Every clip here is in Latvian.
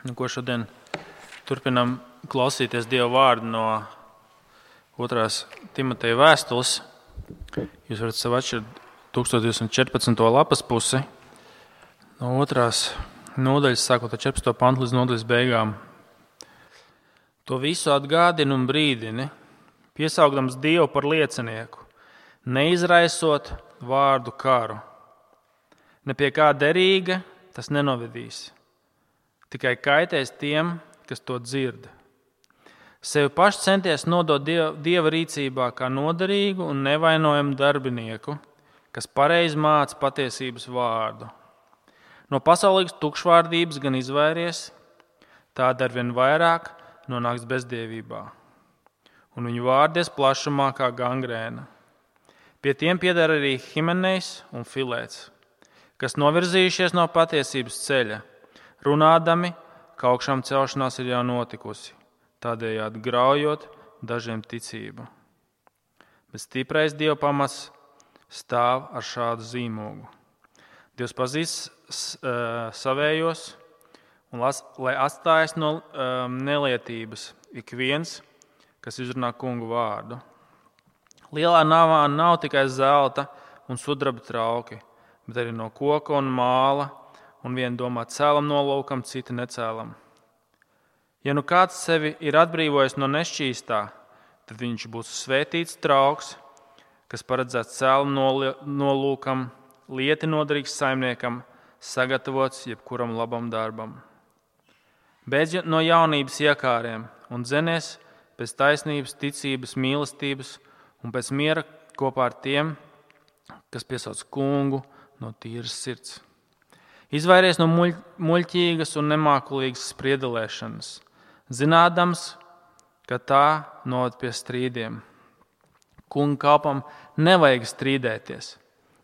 Ko šodien turpinam klausīties Dieva vārdu no 2. Timoteja vēstules. Jūs varat sev atšķirt 1214. lapas pusi no 2. nodaļas, sākot ar 14. pantu līdz nodaļas beigām. To visu atgādini un brīdini, piesaugdams Dievu par liecinieku, neizraisot vārdu karu. Ne pie kā derīga tas nenovedīs. Tikai kaitēs tiem, kas to dzird. Sevi paši centies nodot Dieva rīcībā kā noderīgu un nevainojamu darbinieku, kas pareizi māca patiesības vārdu. No pasaulīgas tukšvārdības gan izvairies, tāda arvien vairāk nonāks bezdievībā, un viņu vārdies plašumā kā gangrēna. Pie tiem pieder arī Himenejs un Filēts, kas novirzījušies no patiesības ceļa, runādami, ka augšām celšanās ir jau notikusi, tādējādi graujot dažiem ticību. Bet stiprais Dieva pamats stāv ar šādu zīmogu. Dievs pazīst savējos, un lai atstājas no nelietības ik viens, kas izrunā kungu vārdu. Lielā navā nav tikai zelta un sudraba trauki, bet arī no koka un māla, un viena domā cēlam nolūkam, cita necēlam. Ja nu kāds sevi ir atbrīvojis no nešķīstā, tad viņš būs svētīts trauks, kas paredzēts cēlam nolūkam, lieti noderīgs saimniekam, sagatavots jebkuram labam darbam. Beidz no jaunības iekāriem un dzenies pēc taisnības, ticības, mīlestības un pēc miera kopā ar tiem, kas piesauc kungu no tīras sirds. Izvairies no muļķīgas un nemākulīgas spriedelēšanas, zinādams, ka tā noved pie strīdiem. Kunga kalpam nevajag strīdēties,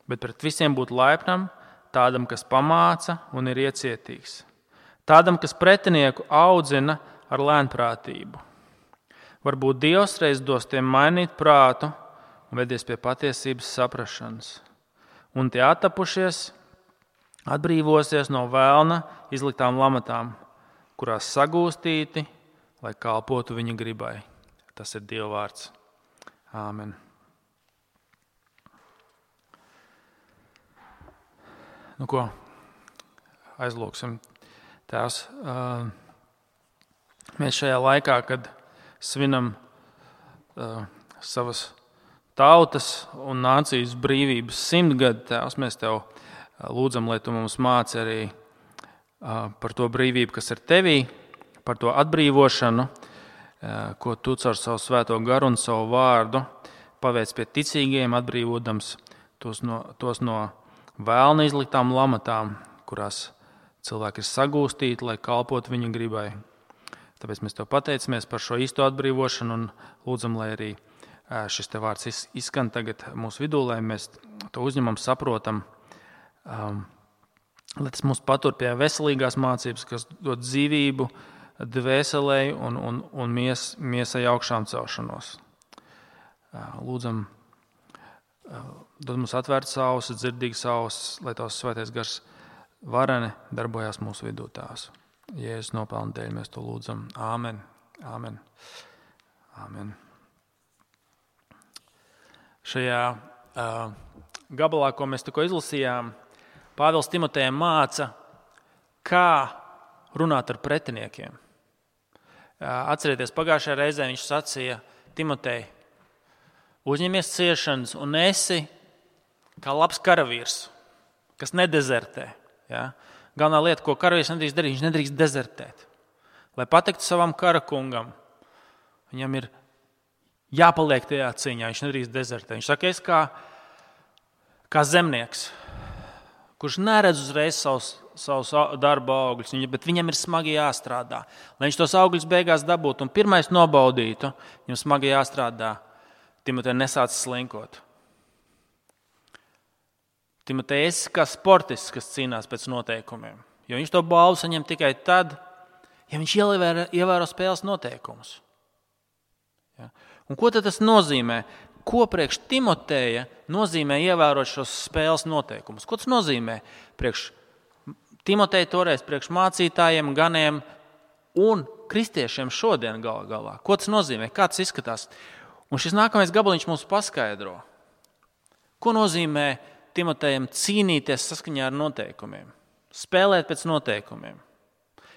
bet pret visiem būt laipnam, tādam, kas pamāca un ir iecietīgs. Tādam, kas pretinieku audzina ar lēnprātību. Varbūt Dievs reiz dos tiem mainīt prātu un vedies pie patiesības saprašanas. Un tie attapušies atbrīvosies no vēlna izliktām lamatām, kurās sagūstīti, lai kalpotu viņa gribai. Tas ir Dieva vārds. Āmen. Nu ko, aizlūksim. Tēvs, mēs šajā laikā, kad svinam savas tautas un nācijas brīvības 100 gadu, Tēvs, mēs Tev lūdzam, lai Tu mums māci arī par to brīvību, kas ir Tevī, par to atbrīvošanu, ko Tu caur savu svēto garu un savu vārdu paveic pie ticīgiem, atbrīvodams tos no vēlna izliktām lamatām, kurās cilvēki ir sagūstīti, lai kalpotu viņa gribai. Tāpēc mēs Tev pateicamies par šo īsto atbrīvošanu un lūdzam, lai arī šis Te vārds izskan tagad mūsu vidū, lai mēs to uzņemam, saprotam, lai tas mūs patur pie veselīgās mācības, kas dod dzīvību dvēselei un miesai augšām celšanos. Lūdzam, dod mums atvērtas ausis, dzirdīgas ausis, lai Tavs svētais gars vareni darbojās mūsu vidū, Tēvs. Jēzus nopelna dēļ mēs to lūdzam. Āmen. Āmen. Āmen. Šajā gabalā, ko mēs tikko izlasījām, Pāvils Timotejam māca, kā runāt ar pretiniekiem. Atcerieties, pagājušajā reizē viņš sacīja Timotej, uzņemies ciešanas un esi kā labs karavīrs, kas nedezertē. Ja? Galvenā lieta, ko karavīrs nedrīkst darīt, viņš nedrīkst dezertēt. Lai patiktu savam karakungam, viņam ir jāpaliek tajā cīņā, viņš nedrīkst dezertēt. Viņš saka, es kā zemnieks, kurš neredz uzreiz savus darba augļus, bet viņam ir smagi jāstrādā. Lai viņš tos augļus beigās dabūtu un pirmais nobaudītu, viņam smagi jāstrādā. Timotej nesāc slinkot. Timotej, esi kā sportists, kas cīnās pēc noteikumiem. Jo viņš to balvu saņem tikai tad, ja viņš ievēro spēles noteikumus. Ja? Un ko tad tas nozīmē? Ko priekš Timoteja nozīmē ievērot šos spēles noteikumus? Ko tas nozīmē priekš Timoteja toreiz, priekš mācītājiem, ganiem, un kristiešiem šodien galā. Ko tas nozīmē? Kā tas izskatās? Un šis nākamais gabaliņš mums paskaidro. Ko nozīmē Timotejam cīnīties saskaņā ar noteikumiem? Spēlēt pēc noteikumiem.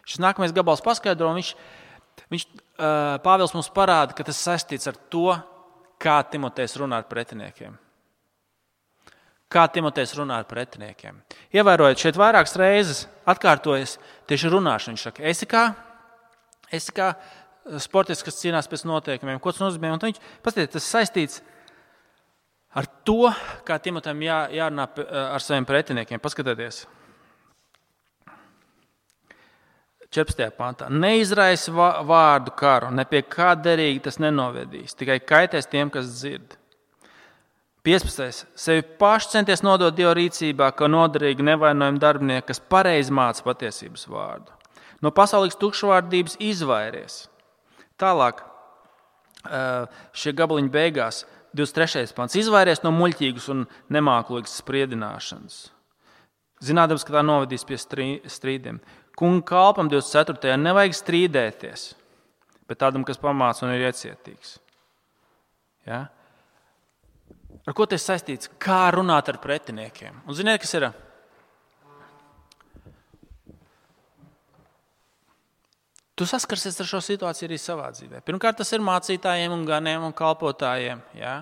Šis nākamais gabals paskaidro, un Pāvils mums parāda, ka tas saistīts ar to, kā Timotejs runā ar pretiniekiem. Kā Timotejs runā ar pretiniekiem. Ievērojot, šeit vairākas reizes atkārtojas tieši runāšana. Viņš saka, esi kā sportists, kas cīnās pēc noteikumiem. Ko tas nozīmē? Un viņš, paskatieties, tas saistīts ar to, kā Timotejam jārunā ar saviem pretiniekiem. Paskatieties. 14. pantā. Neizraisi vārdu karu, ne pie kā derīgi tas nenovedīs, tikai kaitēs tiem, kas dzird. 15. Sevi paši centies nodot Dieva rīcībā, kā noderīgi nevainojami darbinieki, kas pareizi māca patiesības vārdu. No pasaulīgas tukšvārdības izvairies. Tālāk, šie gabaliņi beigās, 23. pants. Izvairies no muļķīgas un nemāklīgas spriedināšanas. Zinādams, ka tā novedīs pie strīdiem. Kunga kalpam 24. nevajag strīdēties, bet tādam, kas pamāca un ir iecietīgs. Ja? Ar ko tas saistīts? Kā runāt ar pretiniekiem? Un ziniet, kas ir? Tu saskarsies ar šo situāciju arī savā dzīvē. Pirmkārt, tas ir mācītājiem un ganiem un kalpotājiem. Ja?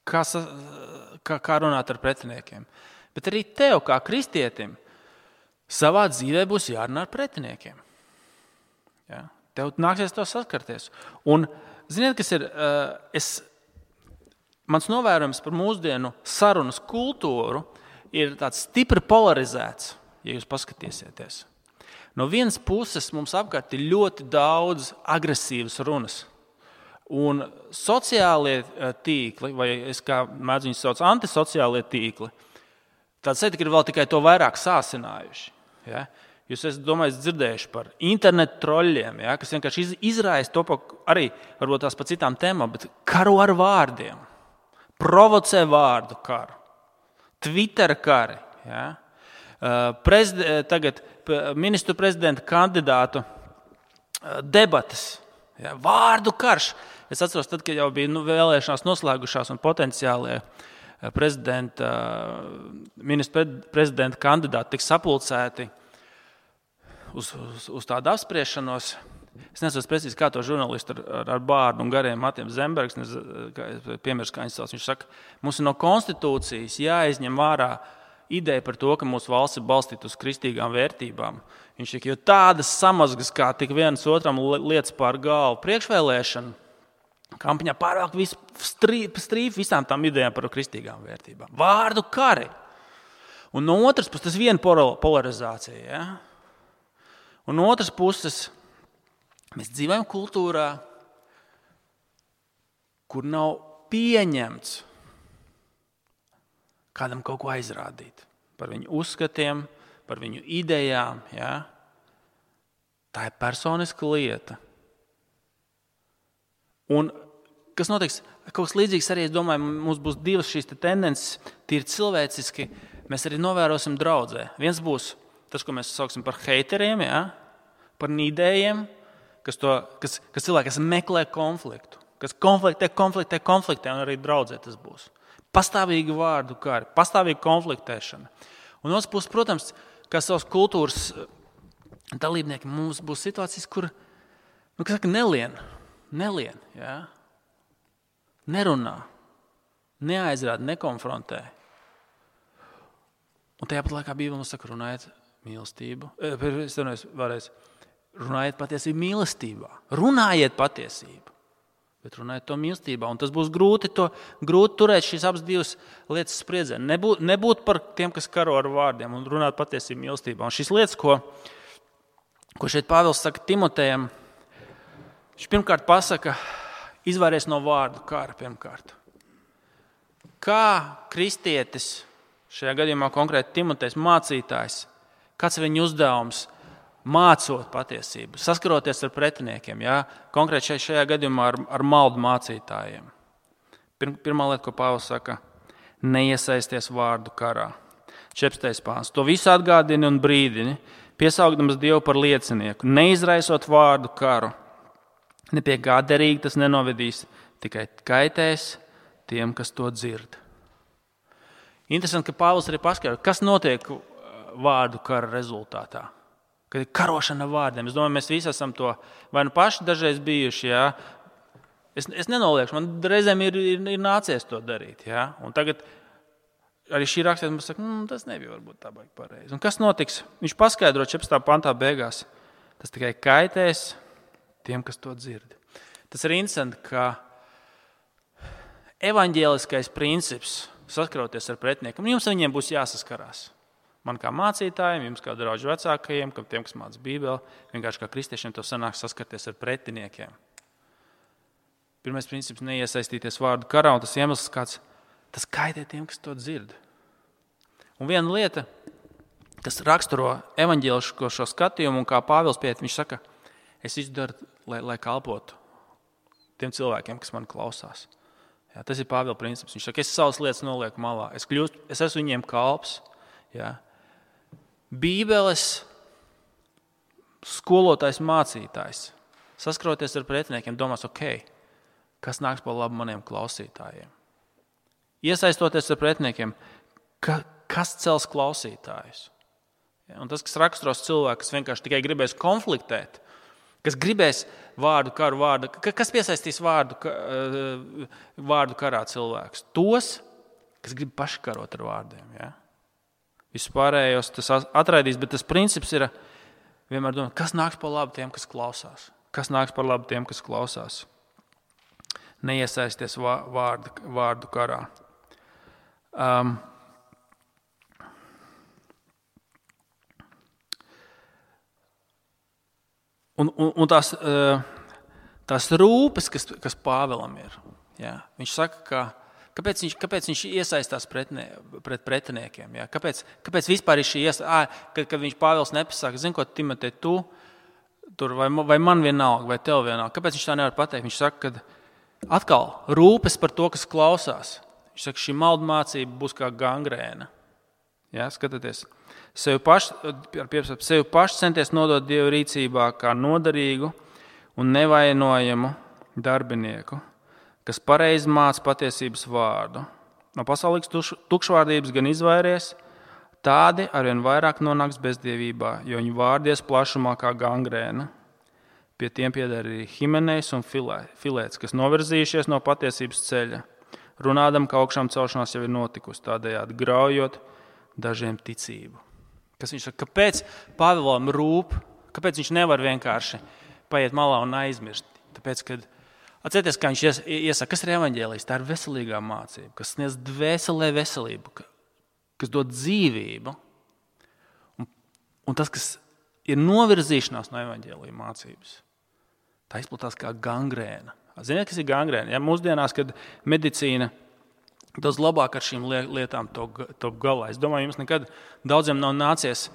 Kā runāt ar pretiniekiem. Bet arī tev, kā kristietim, savā dzīvē būs jārunā ar pretiniekiem. Ja? Tev nāksies to saskarties. Un ziniet, kas ir? Mans novērojums par mūsdienu sarunas kultūru ir tāds stipri polarizēts, ja jūs paskatīsieties. No vienas puses mums apkārt ir ļoti daudz agresīvas runas. Un sociālie tīkli, vai es kā mēdzu viņus sauc, antisociālie tīkli, tāds ir vēl tikai to vairāk sāsinājuši. Ja? Jūs esat, domāju, dzirdējuši par internetu troļļiem, ja? Kas vienkārši izraisa to arī varbūt tās pa citām tēmām, bet karo ar vārdiem. Provocē vārdu karu, Twitter kari, ja? Tagad ministru prezidenta kandidātu debates, ja? Vārdu karš. Es atceros, tad, kad jau bija vēlēšanās noslēgušās un potenciālie ministru prezidenta kandidāti tika sapulcēti uz tādu apspriešanos. Es nezinu precīzi, kā to žurnālistu ar bārdu un gariem matiem Zembergs, piemērs, kā viņš sauc. Viņš saka, mums ir no konstitūcijas jāizņem vārā ideja par to, ka mūsu valsts ir balstīta uz kristīgām vērtībām. Viņš saka, jo tādas samazgas, kā tik viens otram lietas pār galvu priekšvēlēšana, kampaņā pārāk strīp visām tām idejām par kristīgām vērtībām. Vārdu kari. Un no otras puses, tas viena polarizācija. Ja? Un no otras puses, mēs dzīvojam kultūrā, kur nav pieņemts kādam kaut ko aizrādīt par viņu uzskatiem, par viņu idejām. Ja? Tā ir personiska lieta. Un kas notiks? Kaut kas līdzīgs arī, es domāju, mums būs divas šīs tendences, tīri cilvēciski, mēs arī novērosim draudzē. Viens būs tas, ko mēs sauksim par heiteriem, ja? Par nīdējiem, kas cilvēki, kas meklē konfliktu, kas konfliktē, un arī draudzē tas būs. Pastāvīgi vārdu kari, pastāvīgi konfliktēšana. Un otrs puses, protams, kā savas kultūras dalībnieki, mums būs situācijas, kur, nelien, ja? Nerunā, neaizrāda, nekonfrontē. Un tajā pat laikā Bībele mums saka, runājiet mīlestību. Runājiet patiesību mīlestībā. Runājiet patiesību, bet runājiet to mīlestībā. Un tas būs grūti turēt šīs abas divas lietas spriedzē. Nebūt par tiem, kas karo ar vārdiem un runāt patiesību mīlestībā. Un šīs lietas, ko šeit Pāvils saka Timotejam, viņš pirmkārt pasaka, izvairies no vārdu kara pirmkārt. Kā kristietis, šajā gadījumā konkrēti Timotejs mācītājs, kāds ir viņa uzdevums? Mācot patiesību, saskaroties ar pretiniekiem, ja? Konkrēti šajā gadījumā ar maldu mācītājiem. Pirmā lieta, ko Pāvils saka, neiesaisties vārdu karā. 14. pāns. To visu atgādini un brīdini, piesaukdams Dievu par liecinieku, neizraisot vārdu karu. Ne pie kā derīgi tas nenovedīs, tikai kaitēs tiem, kas to dzird. Interesanti, ka Pāvils arī paskaidro, kas notiek vārdu kara rezultātā. Kad ir karošana vārdiem. Es domāju, mēs visi esam to vai nu paši dažreiz bijuši. Jā. Es nenoliekšu, man reizēm ir nācies to darīt. Jā. Un tagad arī šī rakstīt mums saka, tas nebija varbūt tā baigi pareizi. Un kas notiks? Viņš paskaidro 14. pantā beigās. Tas tikai kaitēs tiem, kas to dzird. Tas ir interesanti, ka evaņģēliskais princips saskaroties ar pretiniekiem, jums viņiem būs jāsaskarās. Man kā mācītājiem, jums kā draugu vecākajiem, tiem, kas māca Bībeli, vienkārši kā kristiešiem to sanāk saskarties ar pretiniekiem. Pirmais princips – neiesaistīties vārdu karā, un tas iemesls kāds, tas kaitē tiem, kas to dzird. Un viena lieta, kas raksturo evaņģēlisko šo skatījumu, un kā Pāvils pieiet, viņš saka, es izdaru, lai kalpotu tiem cilvēkiem, kas man klausās. Jā, tas ir Pāvila princips. Viņš saka, es savas lietas nolieku malā. Es esmu viņiem kalps. Jā. Bībeles skolotājs, mācītājs, saskaroties ar pretiniekiem, domās, kas nāks par labu maniem klausītājiem. Iesaistoties ar pretiniekiem, kas cels klausītājus. Ja, un tas, kas raksturos cilvēku, kas vienkārši tikai gribēs konfliktēt, kas gribēs vārdu karu, kas piesaistīs vārdu karā cilvēkus. Tos, kas grib paši karot ar vārdiem. Ja? Vispārējos tas atraidīs, bet tas princips ir vienmēr domāt, kas nāks par labu tiem, kas klausās. Kas nāks par labu tiem, kas klausās. Neiesaisties vārdu karā. Un tās rūpes, kas Pāvilam ir, jā, viņš saka, kāpēc viņš iesaistās pret pretiniekiem, jā, kāpēc vispār ir šī kad viņš Pāvils nepasaka, zini, ko Timotej, tu tur, vai man vienalga, vai tev vienalga, kāpēc viņš tā nevar pateikt? Viņš saka, ka atkal rūpes par to, kas klausās. Viņš saka, šī maldu mācība būs kā gangrēna. Jā, skatieties. Sevi paši centies nodot Dieva rīcībā kā noderīgu un nevainojamu darbinieku, kas pareizi māca patiesības vārdu. No pasaulīgas tukšvārdības gan izvairies, tādi arvien vairāk nonāks bezdievībā, jo viņu vārdies plašumā kā gangrēna. Pie tiem pieder arī Himenejs un Filēts, kas novirzījušies no patiesības ceļa, runādam, ka augšām celšanās jau ir notikusi, tādējādi graujot dažiem ticību. Kas viņš saka, kāpēc Pāvilam rūp, kāpēc viņš nevar vienkārši paiet malā un aizmirst? Tāpēc, kad atcerieties, kā viņš iesaka, kas ir evaņģēlijs? Tā ir veselīgā mācība, kas sniedz dvēselē veselību, kas dod dzīvību. Un tas, kas ir novirzīšanās no evaņģēlija mācības, tā izplatās kā gangrēna. Ziniet, kas ir gangrēna? Ja, mūsdienās, kad medicīna daudz labāk ar šīm lietām top galā. Es domāju, jums nekad daudziem nav nācies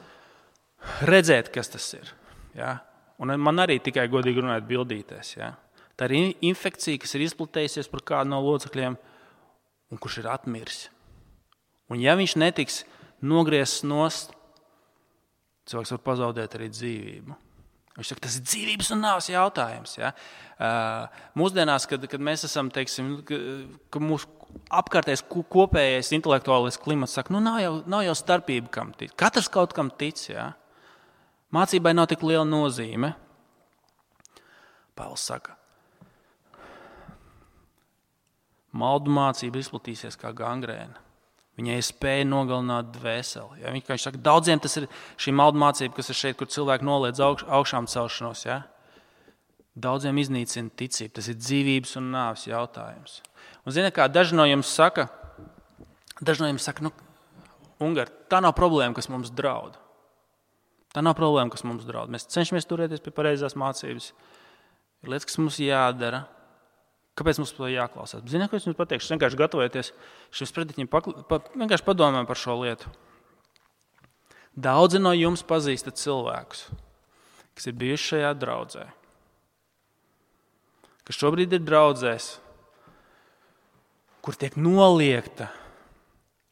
redzēt, kas tas ir. Ja? Un man arī tikai godīgi runājot bildīties. Ja? Tā ir infekcija, kas ir izplatējusies par kādu no locekļiem un kurš ir atmiris. Un ja viņš netiks nogriezts nost, cilvēks var pazaudēt arī dzīvību. Viņš saka, tas ir dzīvības un nāves jautājums. Ja? Mūsdienās, kad mēs esam, teiksim, ka mūsu apkārtējais kopējais intelektuālais klimats saka, nav jau starpība, kam tic. Katrs kaut kam tic. Ja? Mācībai nav tik liela nozīme. Pāvils saka, maldu mācība izplatīsies kā gangrēna. Viņai ir spēja nogalināt dvēseli. Ja? Viņš saka, daudziem tas ir šī maldu mācība, kas ir šeit, kur cilvēki noliedz augšām celšanos. Ja? Daudziem iznīcina ticību. Tas ir dzīvības un nāves jautājums. Un ziniet, kā daži no jums saka, Ungar, tā nav problēma, kas mums draud. Tā nav problēma, kas mums draud. Mēs cenšamies turēties pie pareizās mācības. Ir lietas, kas mums jādara. Kāpēc mums to jāklausās? Ziniet, ko es jums pateikšu? Vienkārši gatavojoties šim sprediķim, vienkārši padomājam par šo lietu. Daudzi no jums pazīstat cilvēkus, kas ir bijuši šajā draudzē, kas šobrīd ir draudzēs, kur tiek noliegta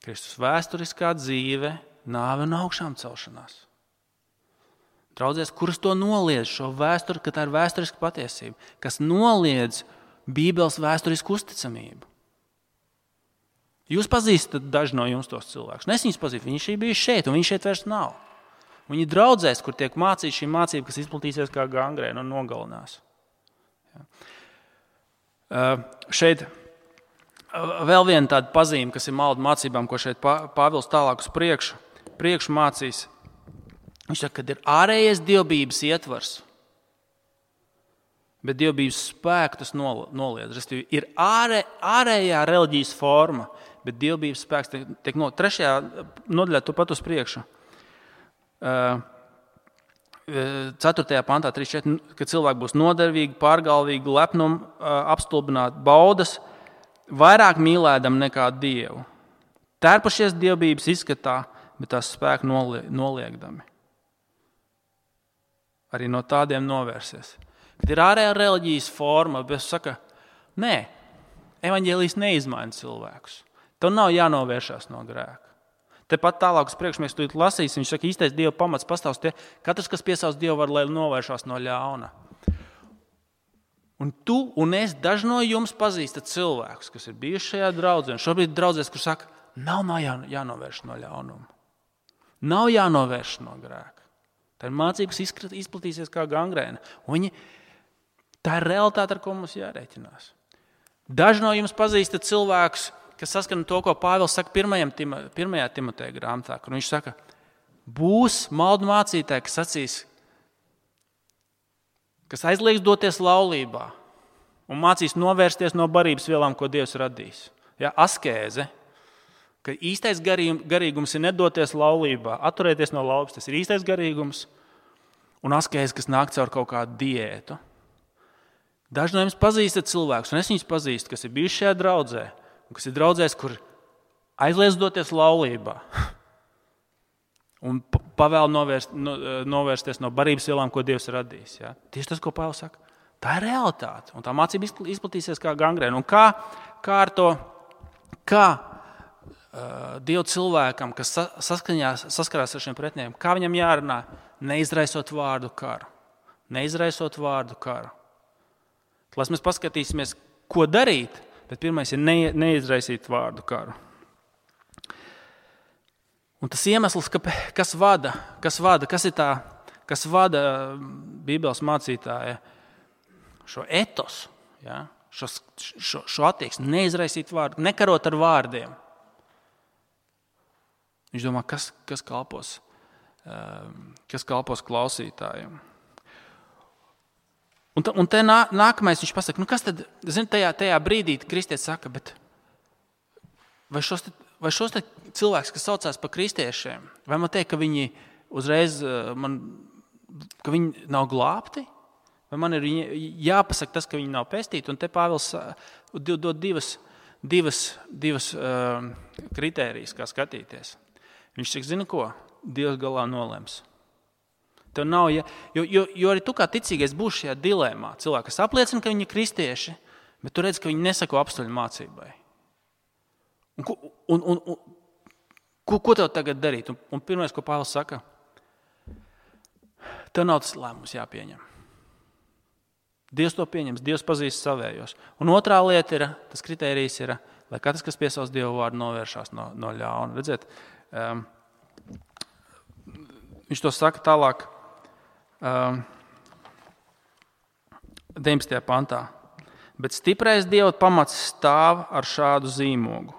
Kristus vēsturiskā dzīve, nāve un augšām celšanās. Draudzēs, kuras to noliedz šo vēsturi, ka tā ir vēsturiska patiesība, kas noliedz Bībeles vēsturisku uzticamību. Jūs pazīstat daži no jums tos cilvēkus. Es viņus pazīstu, viņi šī bija šeit, un viņi šeit vairs nav. Viņi draudzēs, kur tiek mācīta šī mācība, kas izplatīsies kā gangrēna un nogalinās. Šeit vēl viena tāda pazīme, kas ir maldu mācībām, ko šeit Pāvils tālāk uz priekšu mācīs. Viņš saka, ka ir ārējais dievbības ietvars, bet dievbības spēku tas noliedz. Restīvi, ir ārējā reliģijas forma, bet dievbības spēks tiek no 3. nodaļā tu pat uz priekšu. 4. pantā 3.4, ka cilvēki būs nodevīgi, pārgalvīgi, lepnumi, apstulbināti, baudas, vairāk mīlēdam nekā Dievu. Tērpušies dievbības izskatā, bet tās spēku noliegdami. Arī no tādiem novērsies. Kad ir ārējā reliģijas forma, bet saka, nē, evaņģēlijs neizmaina cilvēkus. Tev nav jānovēršās no grēka. Tepat tālāk uz priekšu mēs tūlīt lasīsim. Viņš saka, īstais Dieva pamats pastāvs tie, katrs, kas piesauc Dievu, var, lai novēršās no ļauna. Un tu un es, daži no jums pazīstat cilvēkus, kas ir bijuši šajā draudzē, un šobrīd draudzēs, kur saka, nav jānovērš no ļaunuma. Nav jānovērš no grēka. Tā ir mācība, kas izplatīsies kā gangrēna. Tā ir realitāte, ar ko mums jārēķinās. Daži no jums pazīstat cilvēkus, kas saskana to, ko Pāvils saka 1. Timoteja grāmatā, kur viņš saka, būs maldu mācītāji, kas sacīs, kas aizliegs doties laulībā un mācīs novērsties no barības vielām, ko Dievs radīs. Ja, askēze, ka īstais garīgums ir nedoties laulībā, atturēties no laulības, tas ir īstais garīgums, un askēze, kas nāk caur kaut kādu diētu. Daži no jums pazīstat cilvēkus, un es viņus pazīstu, kas ir bijuši šajā draudzē, un kas ir draudzēs, kur aizliedz doties laulībā un pavēl novērsties no barības vielām, ko Dievs radīs. Ja? Tieši tas, ko Pāvils saka, tā ir realitāte, un tā mācība izplatīsies kā gangrēna. Un kā ar to, Dievu cilvēkam, kas saskarās ar šiem pretiniekam, kā viņam jārunā, neizraisot vārdu karu. Neizraisot vārdu karu. Lai mēs paskatīsimies, ko darīt, bet pirmais ir neizraisīt vārdu karu. Un tas iemesls, kas vada Bībeles mācītāja šo etosu, ja, šo attieksmi, neizraisīt vārdu, nekarot ar vārdiem. Viņš domā, kas kalpos klausītājiem. Un te nākamais viņš pasaka, kas tad, tajā brīdī kristietis saka, bet vai šos te cilvēks, kas saucās par kristiešiem, vai man teikt, ka viņi uzreiz, ka viņi nav glābti? Vai man ir jāpasaka tas, ka viņi nav pestīti? Un te Pāvils dod divas kritērijas, kā skatīties. Viņš saka, zina ko? Dievs galā nolems. Tev nav, jo arī tu kā ticīgais būsi šajā dilēmā. Cilvēki, kas apliecina, ka viņi ir kristieši, bet tu redz, ka viņi nesako apstuļu mācībai. Ko tev tagad darīt? Un pirmais, ko Pāvils saka, tev nav tas lēmums jāpieņem. Dievs to pieņems, Dievs pazīst savējos. Un otrā lieta ir, tas kritērijs ir, lai katrs, kas piesauc Dievu vārdu, novēršās no ļauna. Redziet, viņš to saka tālāk 19. pantā. Bet stiprais Dieva pamats stāv ar šādu zīmogu.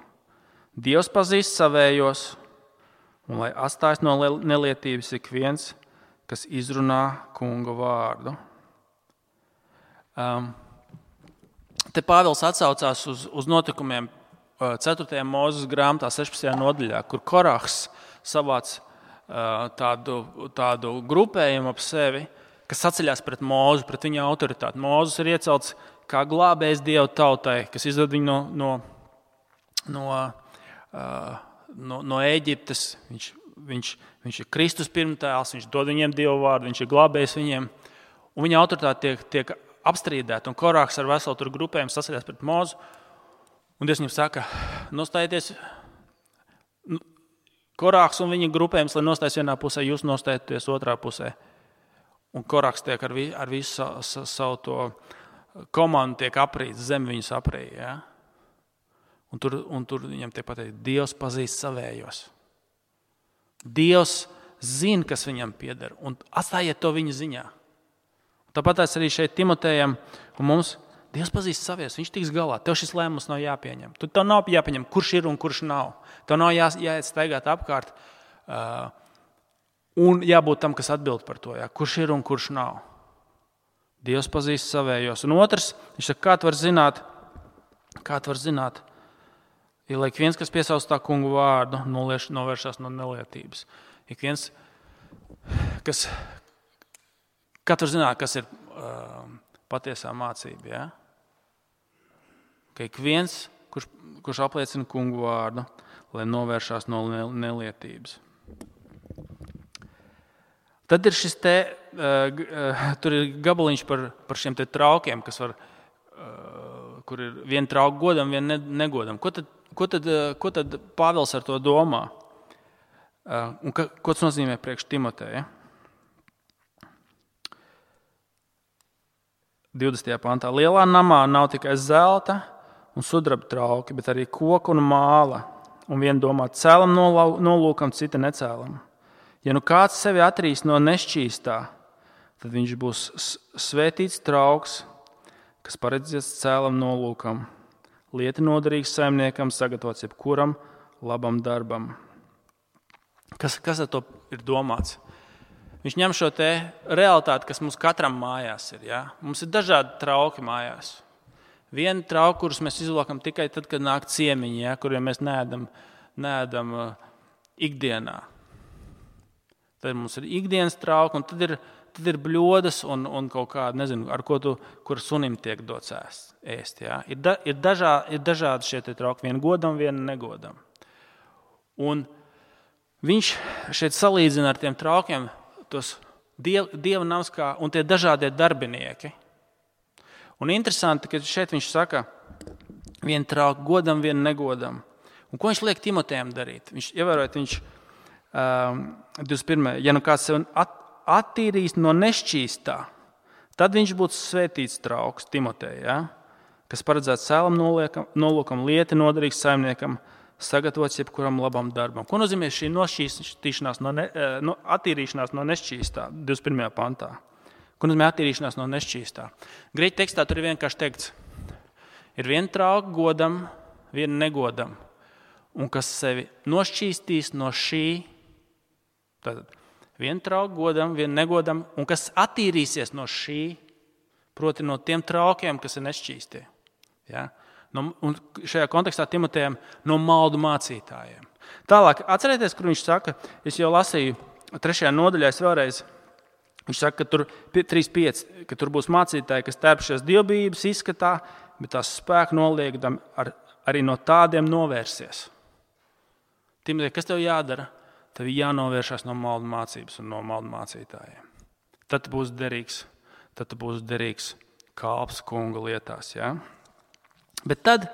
Dievs pazīst savējos, un lai atstājas no nelietības ik viens, kas izrunā kunga vārdu. Te Pāvils atsaucās uz notikumiem 4. Mūzes grāmatā 16. nodaļā, kur Korahs savāc tādu grupējumu ap sevi, kas saceļās pret Mūzu, pret viņa autoritāti. Mūzes ir iecelts kā glābējs Dieva tautai, kas izved viņu no Ēģiptes. Viņš ir Kristus pirmtēls, viņš dod viņiem Dieva vārdu, viņš ir glābējs viņiem. Un viņa autoritāte tiek apstrīdēta. Un Korahs ar veselu tur grupējumu saceļās pret Mūzu. Un Dievs viņam saka, nostājieties, Korahs un viņa grupējums, lai nostājas vienā pusē, jūs nostājieties otrā pusē. Un Koraks tiek ar visu savu to komandu tiek aprīts, zem viņus aprīja. Ja? Un tur viņam tiek pateikt, Dievs pazīst savējos. Dievs zina, kas viņam pieder, un atstājiet to viņa ziņā. Tāpat arī šeit Timotejam un mums Dievs pazīst savējos, viņš tiks galā. Tev šis lēmums nav jāpieņem. Tev nav jāpieņem, kurš ir un kurš nav. Tev nav jāiet staigāt apkārt un jābūt tam, kas atbild par to, ja? Kurš ir un kurš nav. Dievs pazīst savējos. Un otrs, viņš saka, kā tu var zināt, ja ik viens, kas piesauc tā kungu vārdu, novēršās no nelietības. Ik viens, kā tu var zināt, kas ir patiesā mācība, ja? Ka ik viens, kurš apliecina kungu vārdu, lai novēršās no nelietības. Tad ir šis tur ir gabaliņš par šiem te traukiem, kas var, kur ir viena trauka godam, viena negodam. Ko tad Pāvils ar to domā? Un ko tas nozīmē priekš Timoteja? 20. pantā. Lielā namā nav tikai zelta un sudraba trauki, bet arī koka un māla. Un viena domā cēlam nolūkam, cita necēlam. Ja nu kāds sevi atrīs no nešķīstā, tad viņš būs svētīts trauks, kas paredzēts cēlam nolūkam, lieti noderīgs saimniekam, sagatavots jebkuram labam darbam. Kas ar to ir domāts? Viņš ņem šo te realitāti, kas mums katram mājās ir. Ja? Mums ir dažādi trauki mājās. Viena trauka, kurus mēs izlokam tikai tad, kad nāk ciemiņi, ja? Kuriem mēs neēdam ikdienā. Tad mums ir ikdienas trauki, un tad ir bļodas un kaut kāda, nezinu, ar kur sunim tiek dots ēst. Ja? Ir dažādi šie te trauki, viena godam, viena negodam. Un viņš šeit salīdzina ar tiem traukiem tos dieva nams un tie dažādie darbinieki. Un interesanti, ka šeit viņš saka, viena trauka godam, viena negodam. Un ko viņš liek Timotejam darīt? Viņš 21. Ja nu kāds sevi attīrīs no nešķīstā, tad viņš būtu svētīts trauks Timoteja, ja? Kas paredzēts cēlam nolūkam, lieti noderīgs saimniekam, sagatavots jebkuram labam darbam. Ko nozīmē šī attīrīšanās no nešķīstā 21. pantā? Ko nozīmē attīrīšanās no nešķīstā? Grieķu tekstā tur ir vienkārši teikts, ir viena trauka godam, viena negodam, un kas sevi nošķīstīs no šī, tad viena trauka godam, viena negodam, un kas attīrīsies no šī, proti no tiem traukiem, kas ir nešķīstie. Ja? Un šajā kontekstā Timotejam no maldu mācītājiem. Tālāk, atcerieties, kur viņš saka, es jau lasīju 3. nodaļā, vēlreiz, viņš saka, ka tur 3.5, ka tur būs mācītāji, kas tērpšies dievbijības izskatā, bet tās spēku noliekdam arī no tādiem novērsies. Timotej, kas tev jādara? Tev jānovēršās no maldu mācības un no maldu mācītājiem. Tad būs derīgs kalps kunga lietās, ja? Bet tad,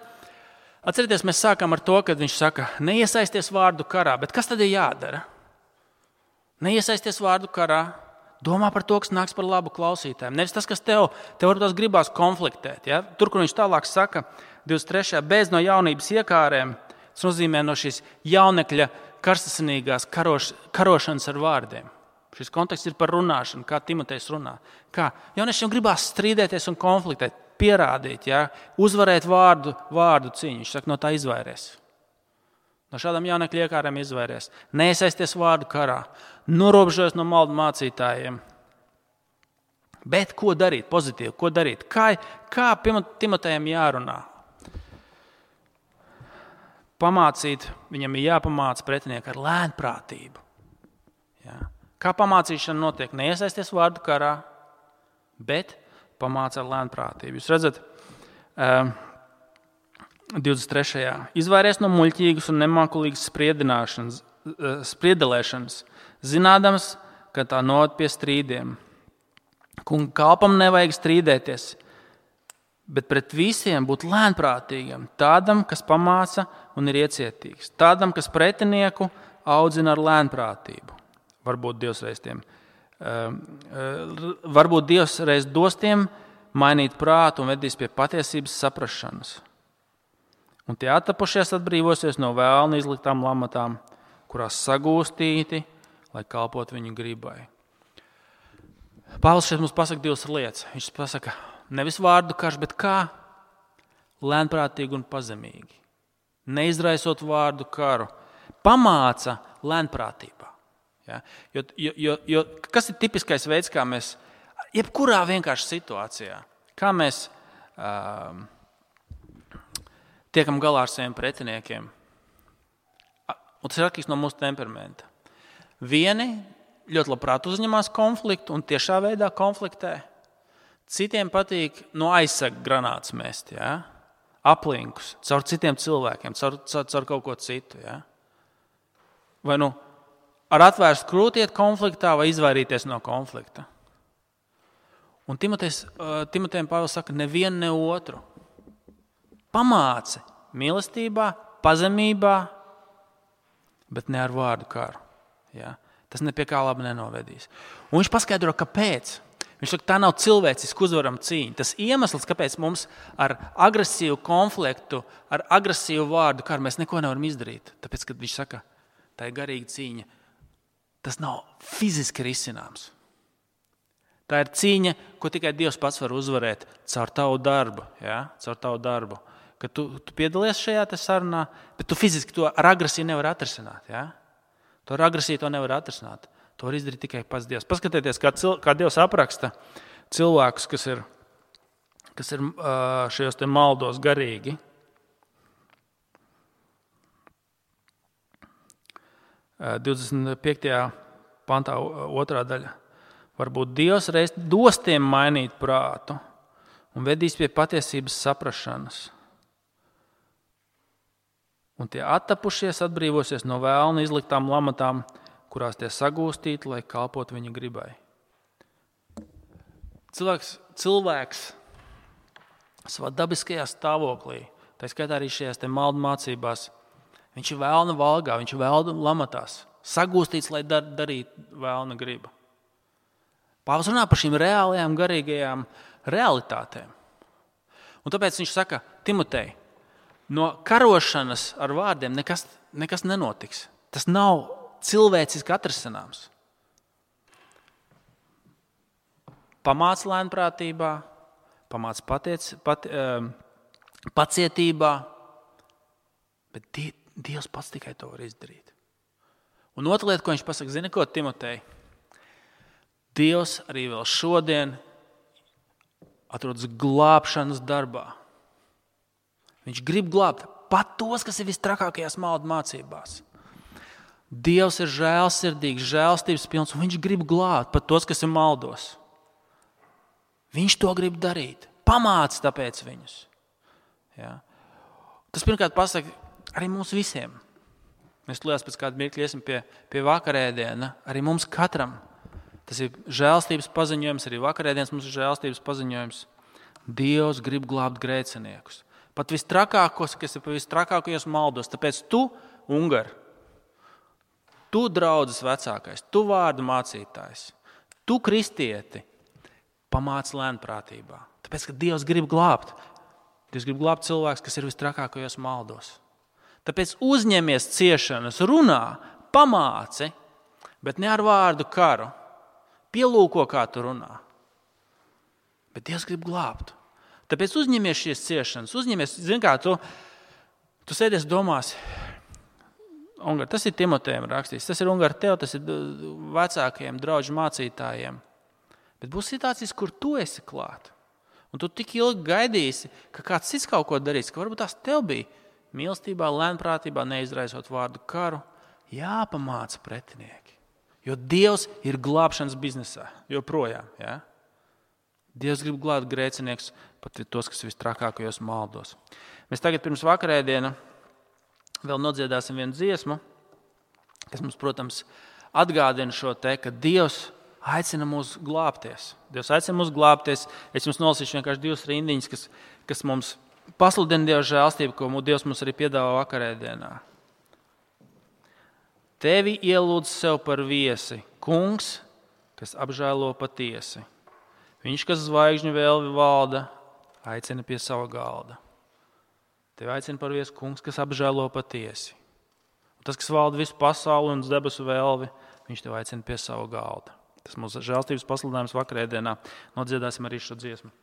atcerieties, mēs sākām ar to, kad viņš saka, neiesaisties vārdu karā. Bet kas tad ir jādara? Neiesaisties vārdu karā, domā par to, kas nāks par labu klausītājiem. Nevis tas, kas tev varbūt gribās konfliktēt. Ja? Tur, kur viņš tālāk saka, 23. bez no jaunības iekārēm, tas nozīmē no šīs jaunekļa karstasinīgās karošanas ar vārdiem. Šis konteksts ir par runāšanu, kā Timotejs runā. Kā jauniešiem gribās strīdēties un konfliktēt, pierādīt, ja? Uzvarēt vārdu cīņu. Viņš saka, no tā izvairies. No šādām jaunekļu iekārēm izvairies. Neiesaisties vārdu karā. Norobežojas no maldu mācītājiem. Bet ko darīt? Pozitīvi, ko darīt? Kā Timotejam jārunā? Viņam ir jāpamāca pretinieki ar lēnprātību. Ja? Kā pamācīšana notiek? Neiesaisties vārdu karā, bet pamāca ar lēnprātību. Jūs redzat, 23. Izvairies no muļķīgas un nemākulīgas spriedelēšanas, zinādams, ka tā noved pie strīdiem. Kunga kalpam nevajag strīdēties, bet pret visiem būt lēnprātīgam, tādam, kas pamāca un ir iecietīgs, tādam, kas pretinieku audzina ar lēnprātību. Varbūt Dievs reiz tiem varbūt Dievs reiz dos tiem mainīt prātu un vedīs pie patiesības saprašanas. Un tie attapušies atbrīvosies no vēlna izliktām lamatām, kurās sagūstīti, lai kalpot viņu gribai. Pāvils šeit mums pasaka divas lietas. Viņš pasaka, nevis vārdu karš, bet kā? Lēnprātīgi un pazemīgi. Neizraisot vārdu karu. Pamāca lēnprātībā. Ja? Jo kas ir tipiskais veids, kā mēs, jebkurā vienkārši situācijā, kā mēs tiekam galā ar saviem pretiniekiem? Un tas ir atkarīgs no mūsu temperamenta. Vieni ļoti labprāt uzņemās konfliktu un tiešā veidā konfliktē. Citiem patīk aizsaka granātas mest, ja? Aplinkus, caur citiem cilvēkiem, caur kaut ko citu. Ja? Vai ar atvērstu krūti iet konfliktā vai izvairīties no konflikta. Un Timotejam Pāvils saka, nevienu, ne otru. Pamāci mīlestībā, pazemībā, bet ne ar vārdu karu. Ja? Tas ne pie kā labi nenovedīs. Un viņš paskaidro, kāpēc. Viņš saka, tā nav cilvēciski uzvarama cīņa. Tas iemesls, kāpēc mums ar agresīvu konfliktu, ar agresīvu vārdu karu mēs neko nevaram izdarīt. Tāpēc, kad viņš saka, tā ir garīga cīņa, tas nav fiziski risināms. Tā ir cīņa, ko tikai Dievs pats var uzvarēt caur tavu darbu. Ja? Caur tavu darbu. Kad tu piedalies šajā sarunā, bet tu fiziski to ar agresiju nevar atrisināt. Ja? To ar agresiju to nevar atrisināt. To var izdarīt tikai pats Dievs. Paskatieties, kā Dievs apraksta cilvēkus, kas ir šajos te maldos garīgi. Uh, 25. pantā 2. daļa. Varbūt Dievs reiz dos tiem mainīt prātu un vedīs pie patiesības saprašanas. Un tie attapušies atbrīvosies no vēlna izliktām lamatām, kurās tie sagūstīti, lai kalpot viņa gribai. Cilvēks savā dabiskajā stāvoklī, tā skaitā arī šajās te maldu mācībās, viņš ir vēlna valgā, viņš ir vēlna lamatās, sagūstīts, lai darītu vēlna griba. Pāvils runā par šīm reālajām, garīgajām realitātēm. Un tāpēc viņš saka, Timotej, no karošanas ar vārdiem nekas nenotiks. Tas nav cilvēciski atrisināms. Pamāc lēnprātībā, pamāc pacietībā, bet Dievs pats tikai to var izdarīt. Un otra lieta, ko viņš pasaka, zini ko, Timotej? Dievs arī vēl šodien atrodas glābšanas darbā. Viņš grib glābt pat tos, kas ir vistrakākajās maldu mācībās. Dievs ir žēlsirdīgs, žēlstības pilns, un viņš grib glābt pat tos, kas ir maldos. Viņš to grib darīt. Pamāc tāpēc viņus. Ja? Tas pirmkārt pasaka arī mums visiem. Mēs tulījās pēc kāda mirkļa iesim pie vakarēdiena. Arī mums katram. Tas ir žēlstības paziņojums, arī vakarēdienas mums ir žēlstības paziņojums. Dievs grib glābt grēciniekus. Pat vistrakākos, kas ir vistrakākajos maldos. Tāpēc tu, Ungar, tu draudzes vecākais, tu vārdu mācītājs, tu kristieti, pamāc lēnprātībā. Tāpēc, ka Dievs grib glābt. Dievs grib glābt cilvēks, kas ir vistrakākajos maldos. Tāpēc uzņemies ciešanas, runā, pamāci, bet ne ar vārdu karu. Pielūko, kā tu runā. Bet Dievs grib glābt. Tāpēc uzņemies šīs ciešanas. Zini kā, tu sēdies domās, Ungar, tas ir Timotejam rakstīts, tas ir Ungar tev, tas ir vecākajiem draudžu mācītājiem. Bet būs situācijas, kur tu esi klāt. Un tu tik ilgi gaidīsi, ka kāds cits kaut ko darīs, ka varbūt tās tev bija mīlestībā, lēnprātībā, neizraisot vārdu karu, jāpamāca pretinieki. Jo Dievs ir glābšanas biznesā, joprojām. Ja? Dievs grib glābt grēcinieks, pat tos, kas vistrakākajos maldos. Mēs tagad pirms vakarēdiena vēl nodziedāsim vienu dziesmu, kas mums, protams, atgādina šo te, ka Dievs aicina mūs glābties. Dievs aicina mūs glābties. Es jums nolasīšu vienkārši 2 rindiņas, kas mums pasludina Dieva žēlstību, ko Dievs mums arī piedāvā vakarēdienā. Tevi ielūdz sev par viesi, Kungs, kas apžēlo patiesi. Viņš, kas zvaigžņu vēlvi valda, aicina pie sava galda. Tevi aicina par viesu kungs, kas apžēlo patiesi. Un tas, kas valda visu pasauli un debesu vēlvi, viņš tevi aicina pie sava galda. Tas mūsu žēlstības pasludinājums vakarēdienā. Nodziedāsim arī šo dziesmu.